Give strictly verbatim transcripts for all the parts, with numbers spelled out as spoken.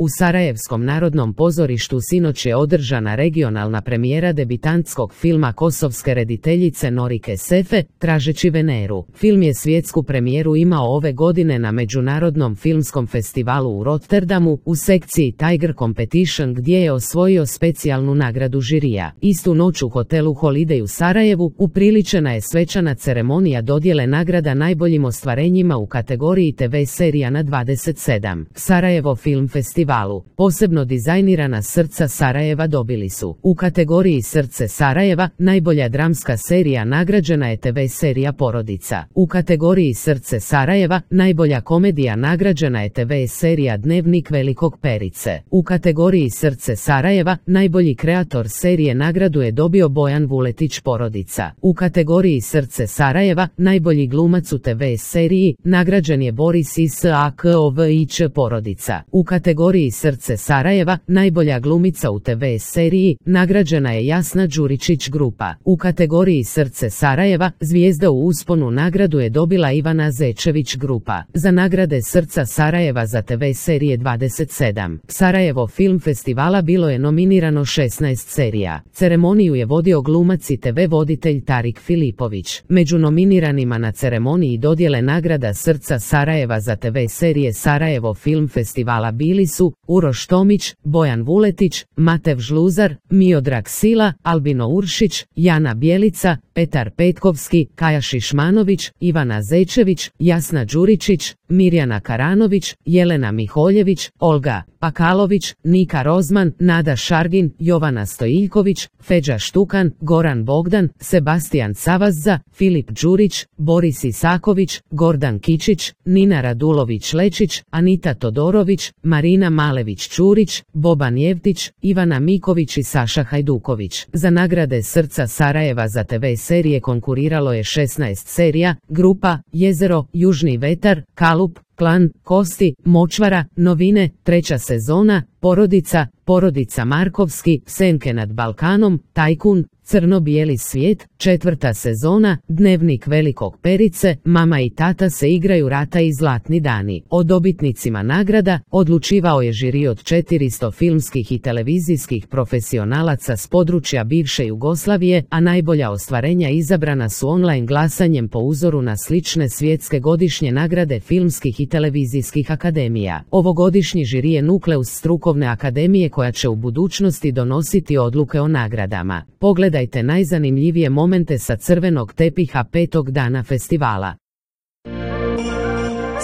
U Sarajevskom narodnom pozorištu sinoć je održana regionalna premijera debitantskog filma kosovske rediteljice Norike Sefe, Tražeći Veneru. Film je svjetsku premijeru imao ove godine na Međunarodnom filmskom festivalu u Rotterdamu u sekciji Tiger Competition gdje je osvojio specijalnu nagradu žirija. Istu noć u hotelu Holiday u Sarajevu upriličena je svečana ceremonija dodjele nagrada najboljim ostvarenjima u kategoriji te ve serija na dvadeset sedam. Sarajevo Film Festivalu. Posebno dizajnirana srca Sarajeva dobili su: u kategoriji Srce Sarajeva najbolja dramska serija nagrađena je te ve serija Porodica. U kategoriji Srce Sarajeva najbolja komedija nagrađena je te ve serija Dnevnik velikog Perice. U kategoriji Srce Sarajeva najbolji kreator serije nagradu je dobio Bojan Vuletić Porodica. U kategoriji Srce Sarajeva najbolji glumac u te ve seriji nagrađen je Boris Isaković Porodica. U kategoriji Srce Sarajeva najbolja glumica u te ve seriji nagrađena je Jasna Đuričić Grupa. U kategoriji Srce Sarajeva zvijezda u usponu nagradu je dobila Ivana Zečević Grupa. Za nagrade Srca Sarajeva za te ve serije dvadeset sedam Sarajevo Film Festivala bilo je nominirano šesnaest serija. Ceremoniju je vodio glumac i te ve voditelj Tarik Filipović. Među nominiranima na ceremoniji dodjele nagrada Srca Sarajeva za te ve serije Sarajevo Film Festivala bili su Uroš Tomić, Bojan Vuletić, Matev Žluzar, Miodrag Sila, Albino Uršić, Jana Bjelica, Petar Petkovski, Kaja Šišmanović, Ivana Zečević, Jasna Đuričić, Mirjana Karanović, Jelena Miholjević, Olga Pakalović, Nika Rozman, Nada Šargin, Jovana Stojiljković, Feđa Štukan, Goran Bogdan, Sebastijan Savazza, Filip Đurić, Boris Isaković, Gordan Kičić, Nina Radulović-Lečić, Anita Todorović, Marina Malević-Čurić, Boban Jevtić, Ivana Miković i Saša Hajduković. Za nagrade Srca Sarajeva za te ve serije konkuriralo je šesnaest serija: Grupa, Jezero, Južni vetar, Kalup, Klan, Kosti, Močvara, Novine, Treća sezona, Porodica, Porodica Markovski, Senke nad Balkanom, Tajkun, Crno-bijeli svijet, Četvrta sezona, Dnevnik velikog Perice, Mama i tata se igraju rata i Zlatni dani. O dobitnicima nagrada odlučivao je žiri od četiristo filmskih i televizijskih profesionalaca s područja bivše Jugoslavije, a najbolja ostvarenja izabrana su online glasanjem po uzoru na slične svjetske godišnje nagrade filmskih i televizijskih akademija. Ovogodišnji žiri je nukleus strukovne akademije koja će u budućnosti donositi odluke o nagradama. Pogledajte najzanimljivije momente sa crvenog tepiha petog dana festivala.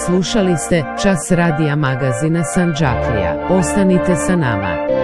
Slušali ste Čas radija magazina Sandžaklija. Ostanite sa nama.